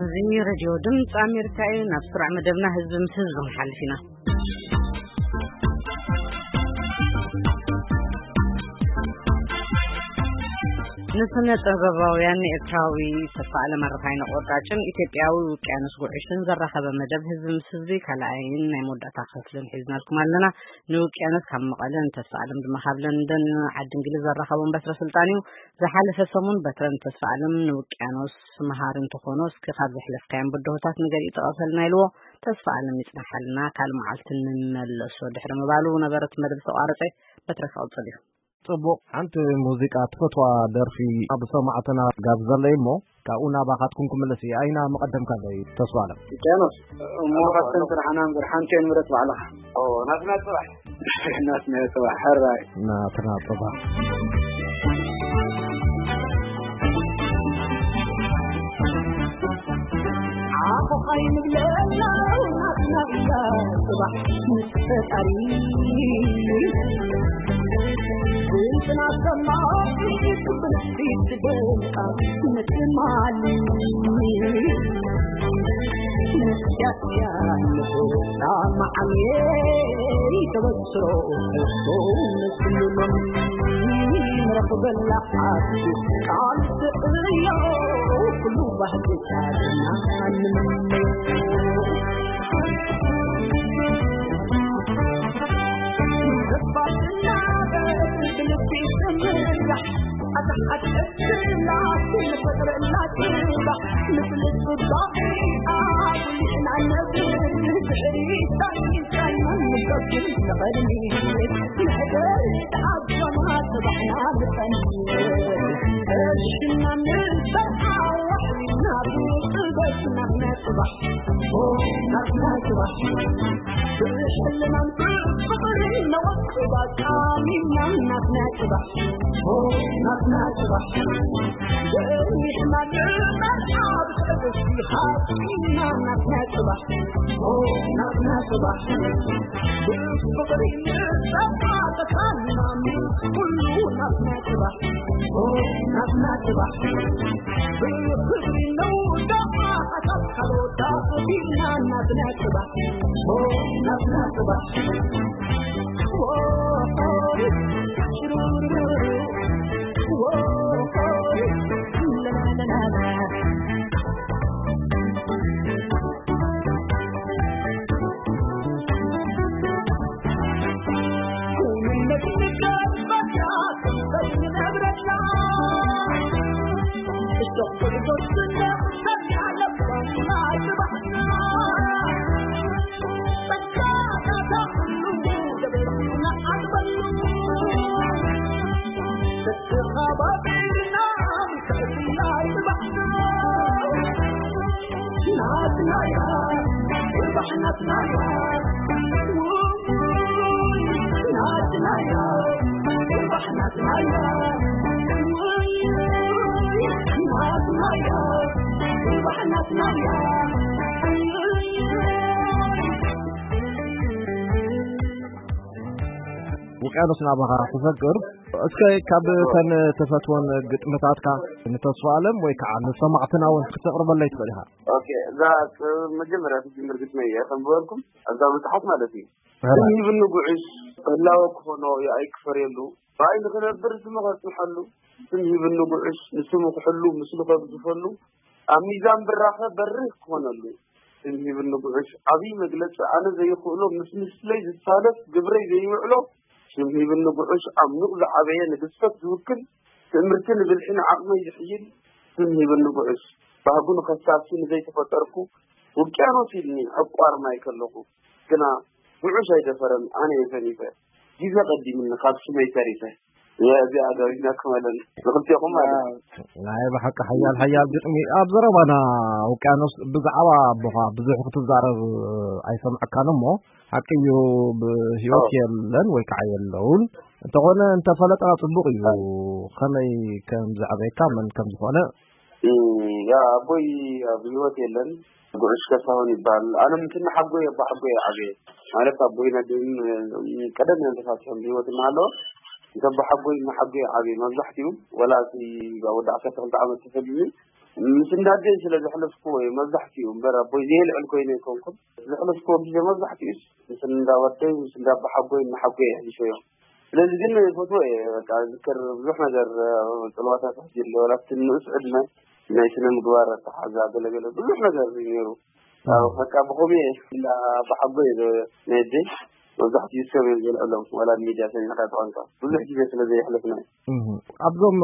እዚ ሬድዮ ድምፂ ኣሜሪካ እዩ። ናብ ስሩዕ መደብና ህዝቢ ምስ ህዝቢ ክንሓልፍ ኢና። ንስነ ጥበባውያን ኤርትራዊ ተስፋ ኣለም ኣረፋይነ ቆራጭን ኢትዮጵያዊ ውቅያኖስ ጉዕሽን ዘራኸበ መደብ ህዝቢ ምስ ህዝቢ ካልኣይን ናይ መወዳእታ ክፍልን ሒዝናልኩም ኣለና። ንውቅያኖስ ካብ መቐለ ንተስፋ ኣለም ድማ ካብ ለንደን ዓዲ እንግሊዝ ዘራኸቦም በትረ ስልጣን እዩ። ዝሓለፈ ሰሙን በትረ ንተስፋ ኣለም ንውቅያኖስ መሃሪ እንተኾኖ እስኪ ካብ ዘሕለፍካዮም ብድሆታት ንገሊኡ ጠቐሰልና ኢልዎ። ተስፋ ኣለም ይጽናሓልና ካልእ መዓልቲ ንመለሶ ድሕሪ ምባሉ ነበረት መደብ ዝተቋረጸ። በትረ ክቕጽል እዩ። ጽቡቕ፣ ሓንቲ ሙዚቃ ትፈትዋ ደርፊ ኣብ ሰማዕትና ጋብዘለይ እሞ ካብኡ ናባኻትኩም ክምለስ እየ። ኣይና መቐደምካ ኣለይ ተስፋ ኣለም። ውቅያኖስ፣ እሞ ካብተን ስራሕና እምበር ሓንቲ እየ ንብረት ባዕልኻ። ኦ፣ ናትና ጽባሕ። ናትና ጽባሕ፣ ሕራይ። ናትና ጽባሕ። ዓኾኻይ ንብለላ ናትና እያ ጽባሕ ምስ ፈጣሪ። ብጽናት ሰማዒ ክብርቲ ትደምቃ ንትማሊ። ንስያስያ ንስና መዓልየ ተበስሮ እሱ ንስሉሎም ንረኽበላ ዓዲ ቃል ትዕዮ ኩሉ ባህሊ ቃልና ንምነዮ። ውቅያኖስ ናባኻ ክሰግር። እስከ ካብ ተን ተፈትወን ግጥምታትካ ንተስፋ ኣለም ወይ ከዓ ንሰማዕትና እውን ክተቕርበለይ ትኽእል ኢኻ። ኦኬ፣ እዛ መጀመርያ ትጅምር ግጥመይ እየ ከም ዝበልኩም ኣብዛ መጽሓፍ ማለት እዩ። ሕራይ። ስም ሂብኒ ጉዕሽ፣ ህላወ ክኾኖ የኣይ ክፈርየሉ፣ ብኣይ ንኽነብር ስሙ ከጽንሐሉ፣ ስም ሂብኒ ጉዕሽ፣ ንስሙ ክሕሉ፣ ምስሉ ከግዝፈሉ፣ ኣብ ሚዛን ብራኸ በሪኽ ክኾነሉ፣ ስም ሂብኒ ጉዕሽ፣ ዓብዪ መግለጺ ኣነ ዘይኽእሎ፣ ምስ ምስለይ ዝሳለፍ፣ ግብረይ ዘይውዕሎ፣ ስም ሂብኒ ጉዕሽ፣ ዓሚቕ ዝዓበየ ንግዝፈት ዝውክል፣ ትእምርቲ ንብልሒ ንዓቕመይ ዝሕይል፣ ስም ሂብኒ ጉዕሽ፣ ባህጉ ንኸሳሲ ንዘይተፈጠርኩ፣ ውቅያኖስ ኢልኒ፣ ዕቋር ማይ ከለኹ፣ ግና ጉዕሽ ኣይደፈረን፣ ኣነ እየ ሰኒፈ። ግዜ ቀዲምኒ፣ ካብ ስመይ ተሪፈ። እዚኣ ጋቢዝናኩም ኣለና፣ ንኽልቴኹም ማለት እዩ። ናይ ብሓቂ ሓያል፣ ሓያል ግጥሚ። ኣብ ዘረባና ውቅያኖስ ብዛዕባ ኣቦኻ ብዙሕ ክትዛረብ ኣይሰምዐካን እሞ፣ ሓቂ እዩ፣ ብህይወት ኦ። የለን ወይ ከዓ የለውን። እንተኾነ እንተፈለጥና ጽቡቕ እዩ። ከመይ ከም ዝዓበየካ፣ መን ከም ዝኾነ። እም፣ ያ ኣቦይ ኣብ ህይወት የለን። ጉዕሽ ከሳሁን ይበሃል። ኣነ ምስ እነ ሓጎይ፣ ኣቦ ሓጎይ እየ ዓብየ። ማለት ኣቦይ ነድህን፣ እም፣ ቀደም እዮም ተፋቲሖም ብህይወት እናሃለወ። ምስ ኣቦ ሓጎይ፣ እነ ሓጎይ እየ ዓብየ። መብዛሕትኡ ወላ እቲ ኣብ ወዲ ዓሰርተ ክልተ ዓመት ተፈሊኒ፣ ምስ እንዳደይ ስለ ዘሕለፍኩዎ እዩ መብዛሕትኡ እምበር ኣቦይ ዘየልዕል ኮይነ ኣይኮንኩን። ዘሕለፍኩዎ ግዜ መብዛሕትኡስ ምስ እንዳወደይ ምስ እንዳባሓጎይ እናሓጎይ የሕሊፈዮ። ስለዚ ግን ፎቶ እየ በቃ ዝክር ብዙሕ ነገር ጽልዋታት ሕጂ ኣሎ። ዋላ ኣብቲ ንኡስ ዕድመ ናይ ስነ ምግባር ኣተሓዛ ገለገለ ብዙሕ ነገር እዩ ነይሩ። በቃ ብኸምኡ እየ እንዳባሓጎይ ናይ ደይ መብዛሕትኡ ሰብ እዮም ዘልዕሎም። ዋላ ሚድያ ሰሚዕካ ተቐንካ ብዙሕ ግዜ ስለ ዘየሕለፍና እዩ። ኣብዞም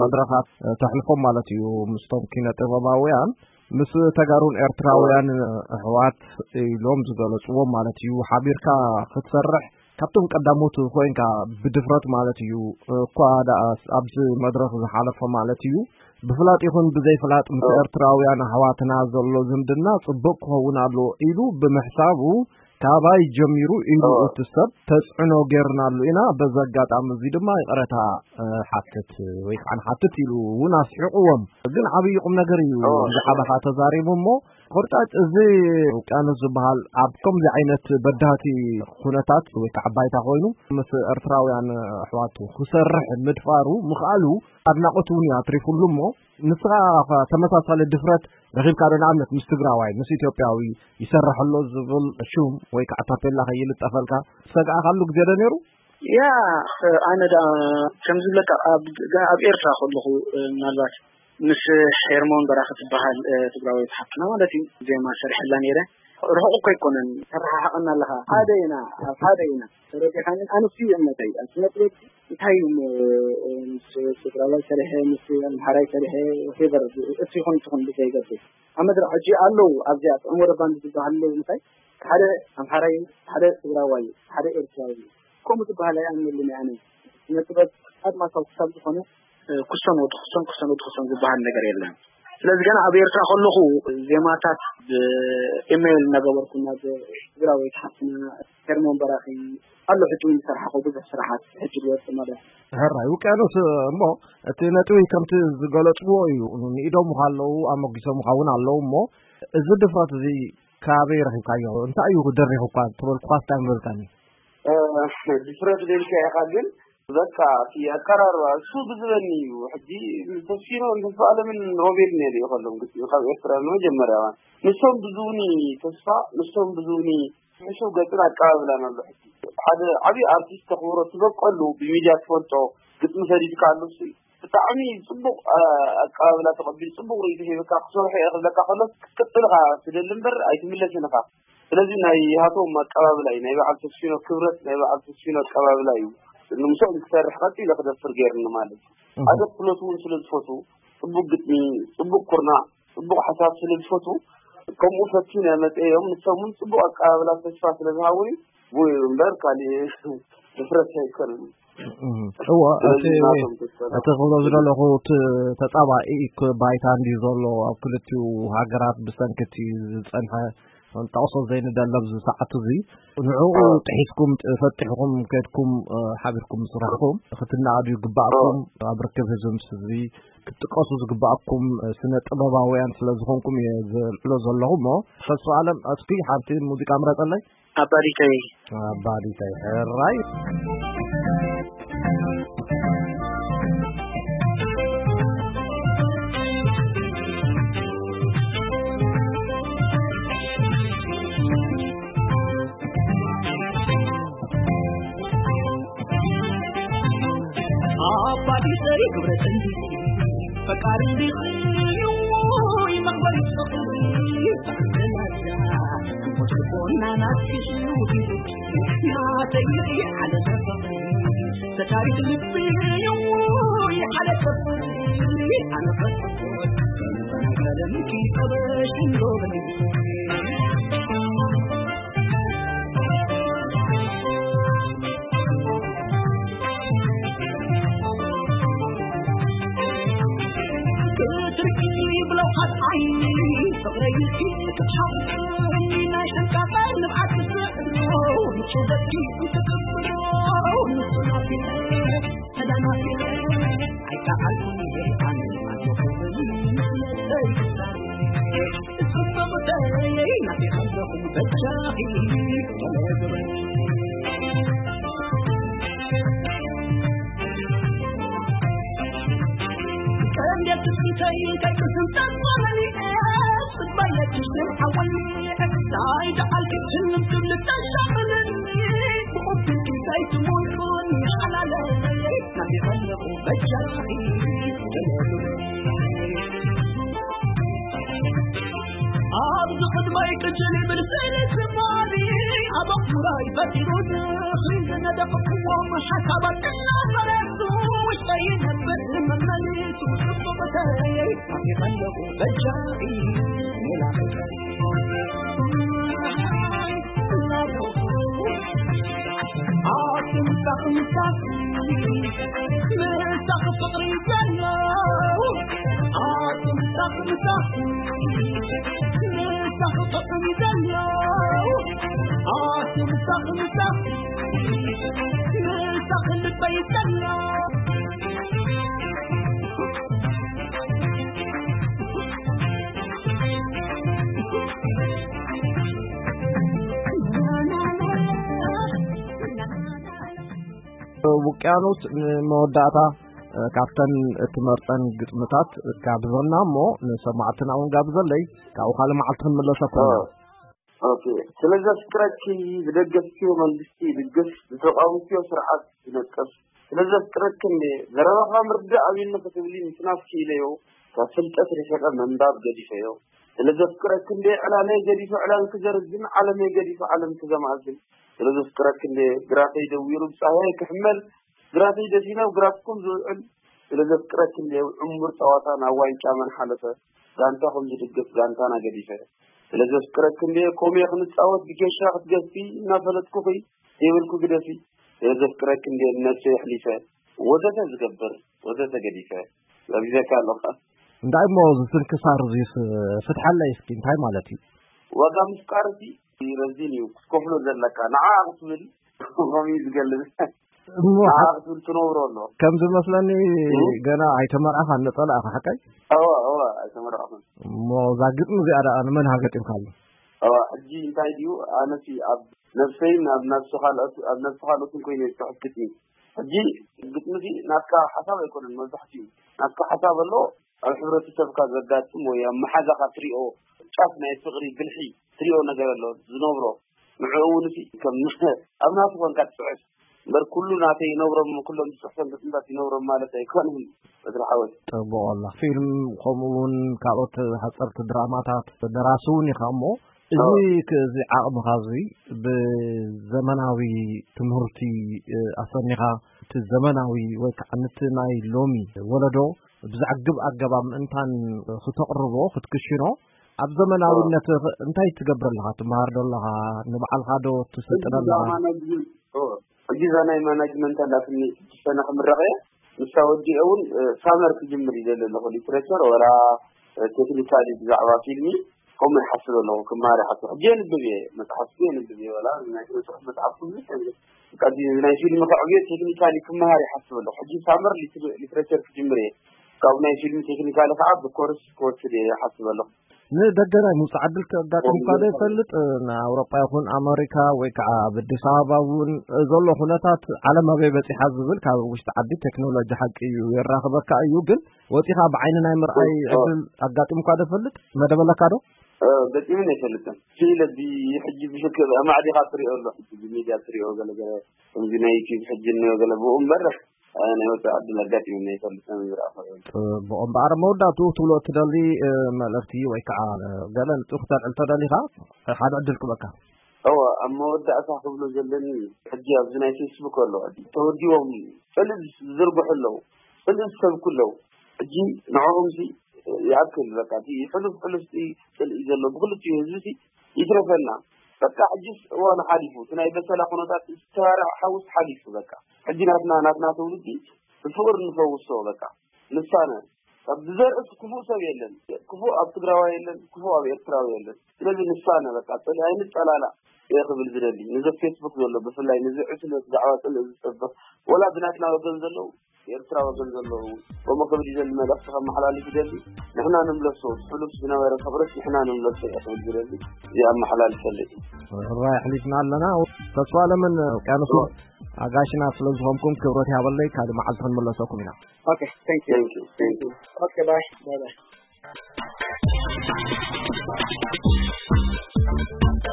መድረኻት ተሕልፎም ማለት እዩ። ምስቶም ኪነ ጥበባውያን ምስ ተጋሩን ኤርትራውያን ኣሕዋት ኢሎም ዝገለጽዎም ማለት እዩ ሓቢርካ ክትሰርሕ ካብቶም ቀዳሞት ኮይንካ ብድፍረት ማለት እዩ። እኳ ደኣ ኣብዚ መድረኽ ዝሓለፈ ማለት እዩ ብፍላጥ ይኹን ብዘይፍላጥ ምስ ኤርትራውያን ኣሕዋትና ዘሎ ዝምድና ጽቡቕ ክኸውን ኣለዎ ኢሉ ብምሕሳቡ ካባይ ጀሚሩ ኢሉ እቲ ሰብ ተጽዕኖ ጌርናሉ ኢና። በዚ ኣጋጣሚ እዚ ድማ ይቕረታ ሓትት ወይ ከዓ ንሓትት ኢሉ እውን ኣስሒቕዎም። ግን ዓብዪ ቁም ነገር እዩ ዝሓበኻ ተዛሪቡ እሞ ቁርጣጭ እዚ ውቅያኖስ ዝበሃል ኣብ ከምዚ ዓይነት በዳህቲ ኩነታት ወይ ከዓ ባይታ ኮይኑ ምስ ኤርትራውያን ኣሕዋቱ ክሰርሕ ምድፋሩ ምኽኣሉ ኣድናቆት እውን እዩ ኣትሪፉሉ እሞ ንስኻ ተመሳሳሊ ድፍረት ረኺብካ ዶ ንኣብነት ምስ ትግራዋይ ምስ ኢትዮጵያዊ ይሰርሕ ኣሎ ዝብል ሹም ወይ ከዓ ታፔላ ከይልጠፈልካ ሰግኣካሉ ግዜ ዶ ነይሩ? ያ ኣነ ዳ ከምዝብለካ ኣብ ኤርትራ ከለኹ ምናልባት ምስ ሄርሞን በራኺ ትበሃል ትግራወይቲ ሓፍትና ማለት እዩ ዜማ ሰሪሐላ ነይረ። ርሑቕ እኮ ኣይኮነን ተረሓሓቐና ኣለኻ ሓደ ኢና ኣብ ሓደ ኢና ተረዲኻኒ ኣነሱ እዩ እምነተይ ኣብ ስነጥበብ እንታይ እዩ ምስ ትግራዋይ ሰሪሐ ምስ ኣምሓራይ ሰሪሐ ፌቨር እሱ ይኹን ትኹን ብዘይገብር ኣብ መድረክ ሕጂ ኣለዉ ኣብዚኣ ጥዑም ወረባንድ ዝበሃል ኣለዉ ምታይ ሓደ ኣምሓራይ ሓደ ትግራዋይ ሓደ ኤርትራዊ ከምኡ ዝበሃል ኣይኣምነሉን ኣነ ስነጥበብ ኣድማሳዊ ክሳብ ዝኾነ ክሰን ወዲ ክሰን ክሰን ወዲ ክሰን ዝበሃል ነገር የለን። ስለዚ ገና ኣብ ኤርትራ ከለኹ ዜማታት ብኢሜይል እናገበርኩ ናብ ትግራወይቲ ሓፍትና ሄርሞን በራኺ ኣሎ ሕጂ እውን ዝሰርሓኹ ብዙሕ ስራሓት ሕጂ ዝወፅእ ማለት ሕራይ ውቅያኖስ እሞ እቲ ነጥቢ ከምቲ ዝገለፅዎ እዩ። ንኢዶም ከለዉ ኣመጊሶም ኸውን ኣለዉ እሞ እዚ ድፍረት እዚ ካበይ ረኺብካዮ እንታይ እዩ ደሪኹካ ተበልኩኻስ እንታይ ምበልካኒ? ድፍረት ደልካ ኢኻ ግን በቃ እቲ ኣቀራርባ እሱ ብዝበኒ እዩ። ሕጂ ተስፊኖ ተስፋ ኣለምን ሮቤል ነይሩ ይኸሎም ግጥሚ ካብ ኤርትራ ንመጀመርያ እዋን ንሶም ብዙውኒ ተስፋ ንሶም ብዙውኒ ሕሹው ገጽን ኣቀባብላን ኣሎ። ሕጂ ሓደ ዓብዪ ኣርቲስት ተኽብሮ ትበቀሉ ብሚድያ ትፈልጦ ግጥሚ ሰዲድካ ኣሎ እሱ እዩ። ብጣዕሚ ጽቡቕ ኣቀባብላ ተቐቢሉ ጽቡቕ ርእይቶ ሂብካ ክሰርሖ እየ ክብለካ ከሎ ክትቅጽል ኢኻ ትደሊ እምበር ኣይትምለስን ኢኻ። ስለዚ ናይ ሃቶም ኣቀባብላ እዩ ናይ በዓል ተስፊኖ ክብረት ናይ በዓል ተስፊኖ ኣቀባብላ እዩ። ንምስኦም ክሰርሕ ቀጺለ ክደፍር ገይርኒ ማለት እዩ። ሓደ ክፍለቱ እውን ስለ ዝፈቱ ጽቡቕ ግጥሚ ጽቡቕ ኩርናዕ ጽቡቕ ሓሳብ ስለ ዝፈቱ ከምኡ ፈትዩ ናይ መጸ እዮም። ንሶም እውን ጽቡቕ ኣቀባብላ ተስፋ ስለ ዝሃቡኒ ብኡ እዩ እምበር ካሊእ ድፍረት ኣይኮነን። እወ እቲ እቲ ክብሎ ዝደለኹ እቲ ተጻባኢ ባይታ እንድዩ ዘሎ ኣብ ክልቲኡ ሃገራት ብሰንኪ እቲ ዝጸንሐ ጠቕሶ ዘይንደለ ኣብዚ ሰዓት እዚ ንዕኡ ጥሒስኩም ፈጢሕኩም ከድኩም ሓቢርኩም ምስራሕኩም ክትናኣዱ ይግባኣኩም ኣብ ርክብ ህዝቢ ምስ ህዝቢ ክትጥቀሱ ዝግባኣኩም ስነ ጥበባውያን ስለ ዝኾንኩም እየ ዘልዕሎ ዘለኹ እሞ ተስፋ ኣለም እስኪ ሓንቲ ሙዚቃ ምረፀለይ ኣባዲተይ ኣባዲተይ ሕራይ ኣባዲተይ ግብረተይ ፈቃሪ ይመቅበል ታይ ደዓል ክትልም ትብል ተሻቕለኒ፣ ብቑም ዘይትሞልኩን ሓላለይ፣ ናብይ ኸለኹ በጃኺ። ኣብዚ ቅድመይ ቅጭል ይብል ስእሊ ትማሊ፣ ኣብ ኣቑራይ ፈጢሩ ድኽሪ ዝነደቕክዎም ሓሳባት እናፈረሱ፣ ውሽጠይ ይነብር መመሊሱ ጽቡቕተይ፣ ናብይ ኸለኹ በጃኺ። ውቅያኖስ፣ ንመወዳእታ ካብተን እትመርጸን ግጥምታት ጋብዘና እሞ ንሰማዕትና እውን ጋብዘለይ፣ ካብኡ ካልእ መዓልቲ ክንምለሰኩም ኢና። ኦኬ። ስለ ዘፍቅረኪ ዝደገፍክዮ መንግስቲ ይድግፍ፣ ዝተቃወምክዮ ስርዓት ይነቅፍ። ስለ ዘፍቅረኪ እንዴ ዘረባኻ ምርዳእ ኣብዩኒ ክትብሊ ምጽናት ክኢለዮ፣ ካብ ፍልጠት ርሒቐ ምንባብ ገዲፈዮ። ስለ ዘፍቅረኪ እንዴ ዕላለይ ገዲፈ ዕላል ክዘርዝን፣ ዓለመይ ገዲፈ ዓለም ክዘማእዝን። ስለ ዘፍቅረኪ እንዴ ግራተይ ደዊሩ ብጻህያይ ክሕመል፣ ግራተይ ደፊነ ኣብ ግራትኩም ዝውዕል። ስለ ዘፍቅረኪ እንዴ ዕሙር ጸዋታ ናብ ዋንጫ መን ሓለፈ፣ ጋንታኹም ዝድግፍ ጋንታና ገዲፈ። ስለ ዘፍቅረኪ እንዴ ኮሜ ክንጻወት ብጌሻ ክትገፊ፣ እናፈለጥኩኺ ዘይበልኩ ግደፊ። ስለ ዘፍቅረኪ እንዴ ንነብሰይ ኣሕሊፈ፣ ወዘተ ዝገብር ወዘተ ገዲፈ። ጋቢዘካ ኣለኹ። እንታይ እሞ እዚ ስንክሳር እዚስ ፍትሓለይ እስኪ፣ እንታይ ማለት እዩ? ዋጋ ምፍቃር እቲ ረዚን እዩ ክትከፍሎ ዘለካ። ንዓ ክትብል ከምኡ እዩ ዝገልጽ። እሞ ንዓ ሓ- ክትብል ትነብሮ ኣሎ። ከም ዝመስለኒ እም? ገና ኣይተመርዓኻን፣ ነጸላ ኢኻ ሓቀይ? እወ እወ ኣይተመረቕኹን። እሞ እዛ ግጥሚ እዚኣ ደኣ ንመን ሃ ገጢምካሉ? እወ ሕጂ እንታይ ድዩ ኣነሲ ኣብ ነብሰይን ኣብ ነብሲ ካልኦት ኣብ ነብሲ ካልኦትን ኮይነ ዝጽሕፍ ግጥሚ። ሕጂ ግጥሚ እዚ ናትካ ሓሳብ ኣይኮነን፣ መብዛሕትኡ ናትካ ሓሳብ ኣሎ ኣብ ሕብረተሰብካ ዘጋጥም ወይ ኣብ መሓዛኻ ትሪኦ ጫፍ ናይ ፍቕሪ ብልሒ ትሪኦ ነገር ኣሎ ዝነብሮ ንዕኡ እውን እቲ ከም ኣብ ናቱ ኮንካ ትጽሕፍ እምበር ኩሉ ናተይ ይነብሮም ኩሎም ዝጽሕፎም ግጥምታት ይነብሮም ማለት ኣይኮነን። በድሪ ሓወይ ጽቡቕ ኣላ ፊልም ከምኡ እውን ካልኦት ሓጸርቲ ድራማታት ደራሲ እውን ኢኻ እሞ እዚ ክ- እዚ ዓቕምኻ እዚ ብዘመናዊ ትምህርቲ እ፣ ኣሰኒኻ እቲ ዘመናዊ ወይ ከዓ ነቲ ናይ ሎሚ ወለዶ ብዘዕግብ ኣገባብ ምእንታን ክተቕርቦ ክትክሽኖ ኣብ ዘመናዊነት እንታይ ትገብር ኣለኻ? ትመሃር ዶ ኣለኻ? ንባዕልኻ ዶ ትስልጥን ኣለኻ? ሕጂ እዛ ናይ ማናጅመንት ኣላትኒ ስድስተ ሰነ ክምረቕ እየ። ንሳ ወዲአ እውን ሳመር ክጅምር ይደሊ ኣለኹ ሊትሬቸር ወላ ቴክኒካሊ ብዛዕባ ፊልሚ ከምኡ ይሓስብ ኣለኹ። ክማር ይሓስብ ሕጂ የንብብ እየ መፅሓፍ የንብብ እየ ወላ ናይ ስነ ፅሑፍ መፅሓፍ ኩሉ ቀዲ ናይ ፊልሚ ከዕብዮ ቴክኒካሊ ክመሃር ይሓስብ ኣለኹ። ሕጂ ሳመር ሊትሬቸር ክጅምር እየ። ካብ ናይ ፊልሚ ቴክኒካሊ ከዓ ብኮርስ ክወስድ እየ ይሓስብ ኣለኹ። ንደገ ናይ ምውፃእ ዕድል ከጋጥምካ ዶ ይፈልጥ? ንኣውሮጳ ይኹን ኣመሪካ ወይ ከዓ ኣብ ኣዲስ ኣበባ እውን ዘሎ ኩነታት ዓለም ኣበይ በፂሓ ዝብል ካብ ውሽጢ ዓዲ ቴክኖሎጂ ሓቂ እዩ የራኽበካ እዩ፣ ግን ወፂኻ ብዓይኒ ናይ ምርኣይ ዕድል ኣጋጢምካ ዶ ይፈልጥ? መደብ ኣለካ ዶ? ገጢሙን ኣይፈልጥን። ስኢለ እዚ ሕጂ ብሽክ ኣማዕዲኻ ትሪኦ ኣሎ ሕጂ ብሚድያ ትሪኦ ገለገለ ከምዚ ናይ ዩቲብ ሕጂ እንዮ ገለ ብኡ እምበር ናይ ወፃኢ ዕድል ኣጋጢሙኒ ኣይፈልጥን ዝረኣኹ። ጽቡቕ እምበኣር መወዳእትኡ ክትብሎ እትደሊ መልእኽቲ ወይ ከዓ ገለ ንጥኡ ክተልዕል ተደሊኻ ሓደ ዕድል ክበካ። እወ ኣብ መወዳእታ ክብሎ ዘለኒ ሕጂ ኣብዚ ናይ ፌስቡክ ኣሎ ተወዲቦም ጽልኢ ዝዝርግሑ ኣለዉ ጽልኢ ዝሰብኩ ኣለዉ ሕጂ ንዕኦም ሲ ይኣክል በቃ እቲ ሕሉፍ ሕሉፍ ጽልኢ ዘሎ ብክልቲኡ ህዝቢ ሲ ይትረፈና በቃ ሕጂስ እዋኑ ሓሊፉ እቲ ናይ በሰላ ኩነታት ዝተባርዐ ሓውስ ሓሊፉ በቃ ሕጂ ናትና ናትና ትውልዲ ብፍቕሪ ንፈውሶ በቃ ንሳነ ካብ ብዘርእስ ክፉእ ሰብ የለን ክፉእ ኣብ ትግራዋይ የለን ክፉእ ኣብ ኤርትራዊ የለን ስለዚ ንሳነ በቃ ጽልኢ ኣይንጸላላእ እየ ክብል ዝደሊ ነዚ ፌስቡክ ዘሎ ብፍላይ ነዚ ዕስለ ብዛዕባ ጽልኢ ዝጸብቕ ወላ ብናትና ወገን ዘለዉ ኤርትራ ወገን ዘለዉ ከምኡ ክብል ይደሊ መልእኽቲ ከመሓላልፍ ይደሊ ንሕና ንምለሶ ሕሉፍ ዝነበረ ፍቕርስ ንሕና ንምለሶ እየ ክብል ዝደሊ እዚ ኣመሓላልፈለይ ራይ ኣሕሊፍና ኣለና ተስፋ ኣለምን ውቅያኖስ ኣጋሽና ስለ ዝኾንኩም ክብረት ይሃበለይ ካልእ መዓልቲ ክንምለሰኩም ኢና Okay, thank you. Thank you. Thank you. Okay, bye. Bye bye.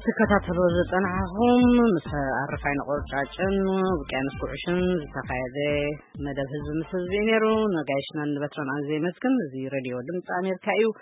ትከታተሉ ዝጸናሕኹም ምስ ኣረፋይ ነቆርጫጭን ውቅያኖስ ጉዕሽን ዝተኻየደ መደብ ህዝቢ ምስ ህዝቢ እዩ ነይሩ። ነጋይሽናን ንበትረን ኣዝየ የመስግን። እዚ ሬድዮ ድምፂ ኣሜሪካ እዩ።